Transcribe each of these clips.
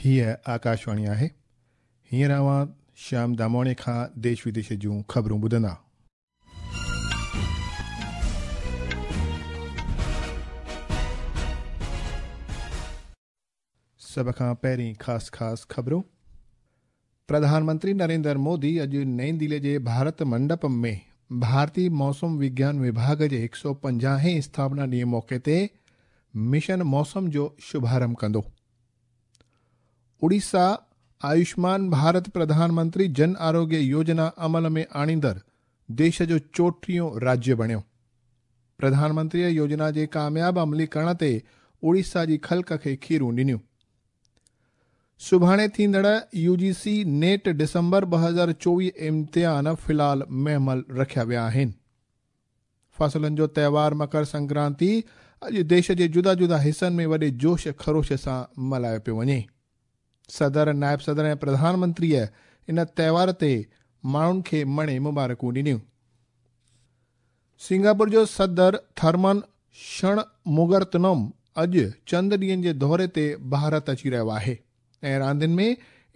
هيء آڪاشواڻي آهي. هينئر اوهان شيام دامواڻي کان ديش وديش جون خبرون ٻڌندا. سڀ کان پهرين خاص خاص خبرون. پرڌان منتري نريندر مودي اڄ نئين دهلي جي ڀارت منڊپم ۾ ڀارتي موسم وگيان وڀاڳ جي 150 هين اسٿاپنا ڏينهن موقعي تي مشن موسم جو شڀارنڀ ڪندو. اڙيسا آيوشمان ڀارت پرڌان منتري جن آروگيه يوجنا عمل ۾ آڻيندڙ ديش جو 34 راجيه بڻيو. پرڌان منتريء يوجنا جي ڪامياب عمليڪرڻ تي اڙيسا جي خلق کي کيرون ڏنيون. سڀاڻي ٿيندڙ يو جي سي نيٽ ڊسمبر 2024 امتحان في الحال مهمل رکيا ويا آهن. فصلن جو تهوار مڪر سنڪرانتي اڄ ديش جي جدا جدا حصن ۾ وڏي جوش خروش سان ملهايو پيو وڃي. صدر، نائب صدر ۽ پرڌان منتريء ان تهوار تي ماڻهن کي مڻي مبارڪون ڏنيون. سنگاپور جو صدر ٿرمن شڻ موگرتنم اڄ چند ڏينهن جي دوري تي ڀارت اچي رهيو آهي ۽ راندين ۾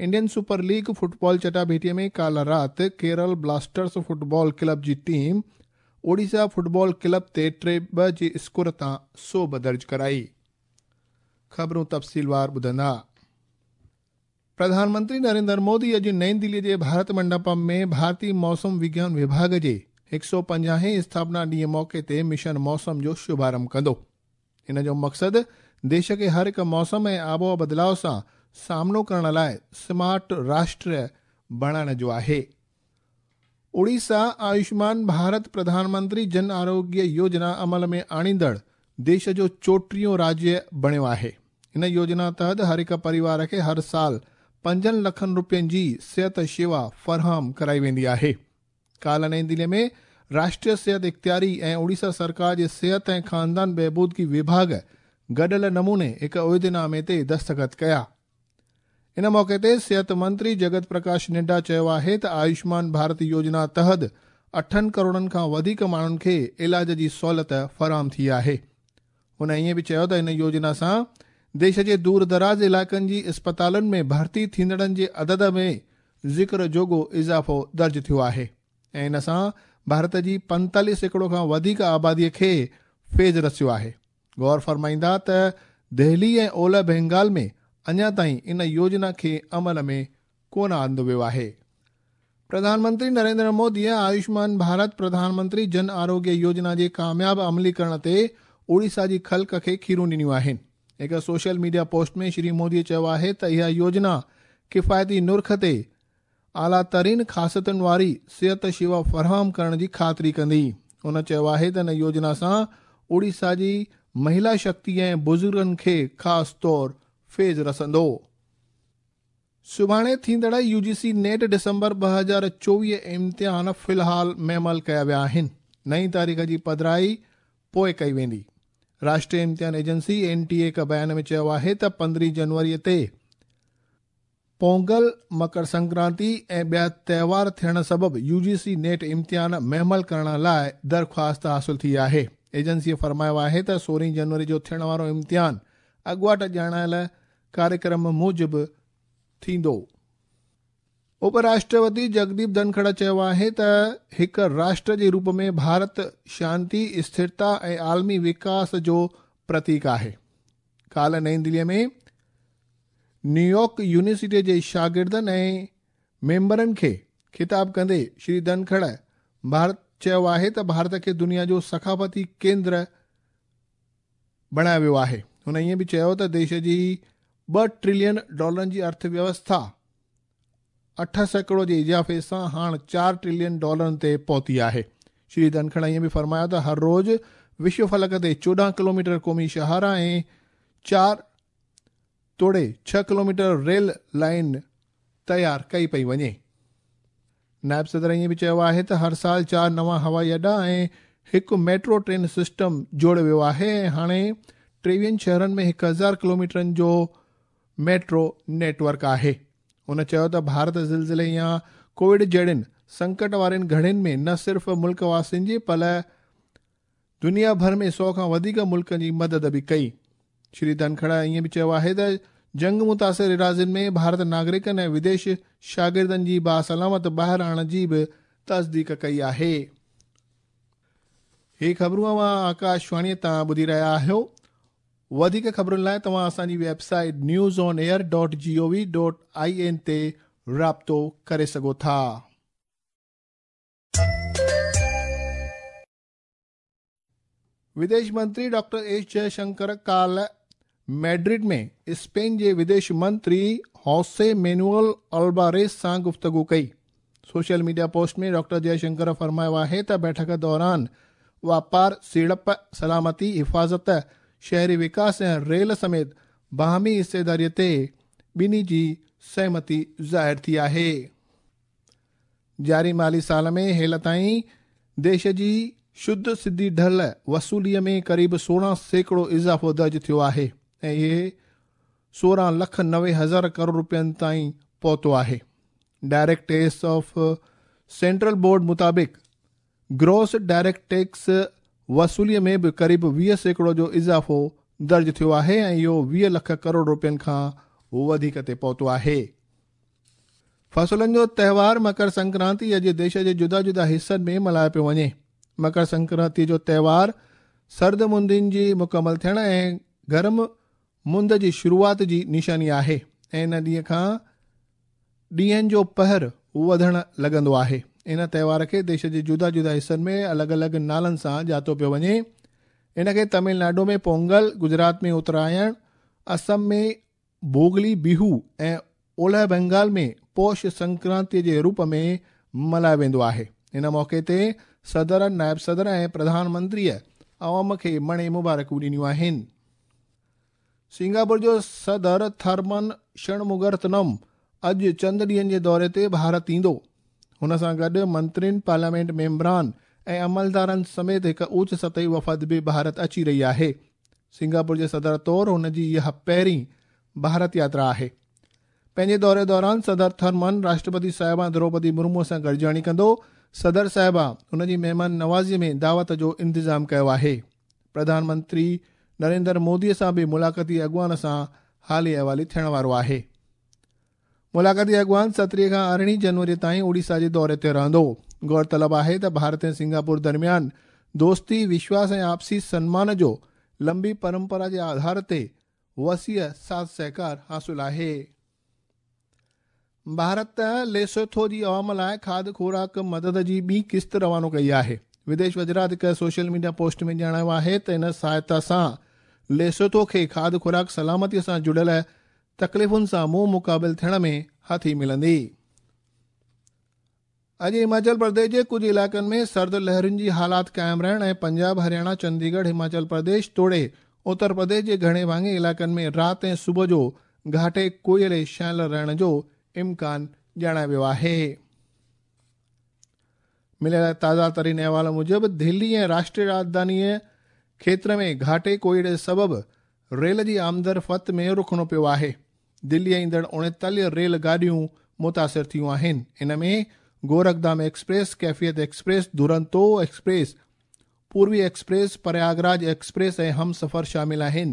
انڊين سپر ليگ فٽبال چٽاڀيٽي ۾ ڪالهه رات ڪيرل بلاسٽرز فٽبال ڪلب جي ٽيم اوڙيسا فٽبال ڪلب تي 3-2 جي اسڪور تان سوڀ درج ڪرائي. خبرون تفصيلوار ٻڌندا. پرڌان منتري نريندر مودي اڄ نئين دهلي جي ڀارت منڊپم ۾ ڀارتي موسم وگيان وڀاڳ جي 150 هين اسٿاپنا ڏينهن موقعي تي مشن موسم جو شڀارنڀ ڪندو. ان جو مقصد ديش کي هر هڪ موسم ۽ آبهوا بدلاء سان سامنو ڪرڻ لاء سمارٽ راشٽر بڻائڻ جو آهي. اڙيسا آيوشمان ڀارت پرڌان منتري جن آروگيه يوجنا عمل ۾ آڻيندڙ ديش جو 34 راجيه بڻيو آهي. ان يوجنا تحت هر هڪ پريوار کي هر سال 5 لکن روپين جي صحت شيوا فراهم ڪرائي ويندي آهي. ڪالهه نئين دهلي ۾ راشٽريه صحت اختياري ۽ اڙيسا سرڪار جي صحت ۽ خاندان بهبودگي وڀاڳ گڏيل نموني هڪ عهدنامي تي دستخط ڪيا. ان موقعي تي صحت منتري جگت پرڪاش نڊا چيو آهي ته آيوشمان ڀارت يوجنا تحت 8 ڪروڙن کان وڌيڪ ماڻهن کي علاج جي سهولت فراهم ٿي آهي. هن ائين به چيو ته ان يوجنا سان ديش جي دور دراز علائقن جي اسپتالن ۾ ڀرتي ٿيندڙن جي عدد ۾ ذڪر جوڳو اضافو درج ٿيو آهي ۽ ان سان ڀارت جي 45% کان وڌيڪ آبادي کي فيض رسيو آهي. غور فرمائيندا ته دهلي ۽ اولهه بينگال ۾ اڃا تائين ان يوجنا کي عمل ۾ ڪونه آندو ويو آهي. پرڌان منتري نريندر موديء آيوشمان ڀارت پرڌان منتري جن آروگيه يوجنا جي ڪامياب عمليڪرڻ تي اڙيسا جي خلق کي کيرون ڏنيون آهن. هڪ سوشل ميڊيا پوسٽ ۾ شري موديء چيو آهي ته اها يوجنا ڪفايتي نرخ تي اعليٰ ترين خاصيتن واري صحت شيوا فراهم ڪرڻ جي خاطري ڪندي. هن چيو آهي ته ان يوجنا سان اڙيسا جي مهلا شڪتي ۽ بزرگن کي خاص طور فيض رسندو. سڀاڻي ٿيندڙ يو جي سي نيٽ ڊسمبر 2024 امتحان في الحال مهمل ڪيا ويا آهن. نئين تاريخ جي پڌرائي پوء ڪئي ويندي. راشٽريه امتحان ايجنسي اين ٽي اي هڪ بيان ۾ چيو آهي ته 15 جنوري تي پونگل، مڪر سنڪرانتي ۽ ٻيا تهوار ٿيڻ سبب يو جي سي نيٽ امتحان مهمل ڪرڻ لاء درخواست حاصل ٿي آهي. ايجنسيء فرمايو آهي ته 16 جنوري جو ٿيڻ وارو امتحان اڳواٽ ڄاڻايل ڪاريڪرم موجب ٿيندو. اپ راشٽرپتي جگديپ ڌنکڙ چيو آهي ته هڪ راشٽر جي روپ ۾ ڀارت شانتي، اسٿرتا ۽ عالمي وڪاس جو پرتيڪ آهي. ڪالهه نئين دهليء ۾ نيويارڪ يونيورسٽيء جي شاگردن ۽ ميمبرن کي خطاب ڪندي شري ڌنکڙ ڀارت چيو آهي ته ڀارت کي دنيا جو ثقافتي ڪيندر بڻايو ويو آهي. هن ائين به چيو ته ديش جي 2 ٽريلين ڊالرن جي ارٿ ويوسٿا 8% جي اضافي سان هاڻ 4 ٽريلين ڊالرن تي پهتي آهي. شري ڌنکڙ ائين به فرمايو ته هر روز وشو فلڪ تي 14 ڪلوميٽر قومي شاهراهه ۽ 4 توڙي 6 ڪلوميٽر ريل لائين تيار ڪئي پئي وڃي. نائب صدر ائين به چيو آهي ته هر سال 4 نوان هوائي اڏا ۽ هڪ ميٽرو ٽرين سسٽم جوڙيو ويو آهي ۽ هاڻي 23 شهرن ۾ 1000 ڪلوميٽرن جو ميٽرو نيٽ ورڪ آهي. هن چيو ته ڀارت زلزلي يا ڪووڊ جهڙين سنڪٽ وارين گهڙين ۾ نه صرف ملڪ واسين جي پر دنيا ڀر ۾ 100 کان وڌيڪ ملڪن جي مدد به ڪئي. شري ڌنکڙ ائين به چيو آهي ته جنگ متاثر ايراضين ۾ ڀارت ناگرڪن ۽ وديش شاگردن جي باسلامت ٻاهر آڻڻ جي به تصديق ڪئي آهي. هي خبرون اوهان آڪاشواڻي تان ٻڌي رهيا آهيو. وڌيڪ خبرن لاء توهان اسان جي website news on air dot G O V dot I N تي رابطو ڪري سگهو ٿا. وديش منتري ڊاڪٽر ايس جئشنڪر ڪالهه ميڊرڊ ۾ اسپين جي وديش منتري هوسي مينوئل الباريس سان گفتگو ڪئي. سوشل ميڊيا پوسٽ ۾ ڊاڪٽر جئشنڪر فرمايو آهي ته بيٺڪ دوران واپار، سيڙپ، سلامتي، حفاظت، شهري وڪاس ۽ ريل سميت باهمي حصيداري تي ٻنهي جي سهمتي ظاهر ٿي آهي. جاري مالي سال ۾ هيل تائين ديش جي شڌ سڌي ڍل وصولي ۾ قريب 16% اضافو درج ٿيو آهي ۽ اهي 16 لک 90 هزار ڪروڙ رپين تائين پهتو آهي. Direct tax of central board مطابق گروس ڊائريڪٽ ٽيڪس وصولي ۾ به قريب 20% جو اضافو درج ٿيو آهي ۽ اهو 20 لک ڪروڙ رپين کان وڌيڪ تي پهتو آهي. فصلن جو تهوار مڪر سنڪرانتي اڄ ديش جي جدا جدا حصن ۾ ملهايو پيو وڃي. مڪر سنڪرانتي جو تهوار سرد مندين جي مڪمل ٿيڻ ۽ گرم مند جي شروعات جي نشاني آهي ۽ ان ڏينهن کان ڏينهن جو پهر وڌڻ لڳندو آهي. ان تهوار کي ديش جي جدا جدا حصن ۾ الڳ الڳ نالن سان ڄاتو پيو وڃي. ان کي تامل ناڊو ۾ پونگل، گجرات ۾ اترائڻ، اسم ۾ ڀوگلي بيهو ۽ اولهه بنگال ۾ پوش سنڪرانتي جي روپ ۾ ملهايو ويندو آهي. ان موقعي تي صدر، نائب صدر ۽ پرڌان منتريء عوام کي مڻي مبارڪون ڏنيون آهن. سنگاپور جو صدر ٿرمن شڻموگرتنم اڄ چند ڏينهن جي دوري تي ڀارت ايندو. هن سان گڏ منترين، پارليامينٽ ميمبران ۽ عملدارن سميت هڪ اوچ سطحي وفد به ڀارت اچي رهي آهي. سنگاپور جي صدر طور هن جي اها پهرين ڀارت ياترا آهي. پنهنجي دوري دوران صدر ٿرمن راشٽرپتي صاحبه دروپدي مرمو سان گڏجاڻي ڪندو. صدر صاحبه هن جي مهمان نوازي ۾ دعوت جو انتظام ڪيو آهي. پرڌان منتري نريندر مودي سان به ملاقاتي اڳواڻ سان حالي احوالي ٿيڻ وارو آهي. ملاقاتي اڳواڻ 17 کان 18 جنوري تائين اوڙيسا جي دوري تي رهندو. غور طلب آهي ته ڀارت ۽ سنگاپور درميان دوستي، وشواس ۽ آپسي سنمان جو لمبي پرمپرا جي آڌار تي وسيع ساٿ سهڪار حاصل آهي. ڀارت ليسوٿو جي عوام لاء کاڌ خوراڪ مدد جي ٻي قسط روانو ڪئي آهي. وديش وزارت هڪ سوشل ميڊيا پوسٽ ۾ ڄاڻايو آهي ته ان سهائتا سان ليسوٿو کي کاڌ خوراڪ سلامتي سان جڙيل تڪليفن سان منهن مقابل ٿيڻ ۾ هٿي ملندي. اڄ هماچل پرديش جي ڪجهه علائقن ۾ سرد لهرن جي حالات قائم رهڻ ۽ پنجاب، هرياڻا، چنديڳڙهه، هماچل پرديش توڙي اتر پرديش جي گهڻي ڀاڱي علائقن ۾ رات ۽ صبح جو گهاٽي ڪوهيڙي ڇانيل رهڻ جو امڪان ڄاڻايو ويو آهي. مليل تازا ترين احوال موجب دهلي ۽ راشٽريه راڄڌاني کيتر ۾ گهاٽي ڪوهيڙي سبب ريل جي آمدرفت ۾ رخنو پيو آهي. دلي ايندڙ 39 ريل گاڏيون متاثر ٿيون آهن. ان ۾ Gorakhdham express, Kaifiyat express, Duronto express, Purvi express, Prayagraj express ۽ Humsafar شامل آهن.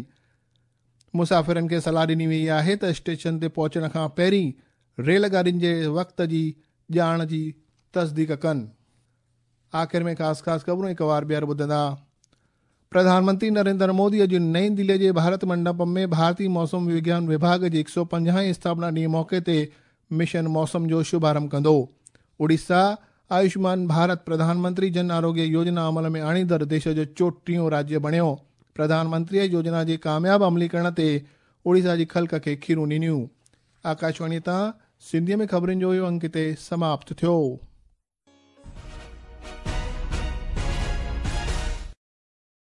مسافرن کي صلاح ڏني وئي آهي ته اسٽيشن تي پهچڻ کان پهرين ريل گاڏين جي وقت جي ڄاڻ جي تصديق ڪن. آخر ۾ خاص خاص خبرون هڪ وار ٻيهر ٻڌندا. پرڌان منتري نريندر مودي اڄ نئين دلي جي ڀارت منڊپم ۾ ڀارتي موسم وگيان وڀاڳ جي 150 هين اسٿاپنا ڏينهن موقعي تي مشن موسم جو شڀارنڀ ڪندو. اڙيسا آيوشمان ڀارت پرڌان منتري جن آروگيه يوجنا عمل ۾ آڻيندڙ ديش جو چوٽيهون راجيه بڻيو. پرڌان منتري يوجنا جي ڪامياب عمليڪرڻ تي اڙيسا جي خلق کي کيرون ڏنيون. آڪاشواڻي تان سنڌيء ۾ خبرن جو اهو انڪ هتي سماپت ٿيو.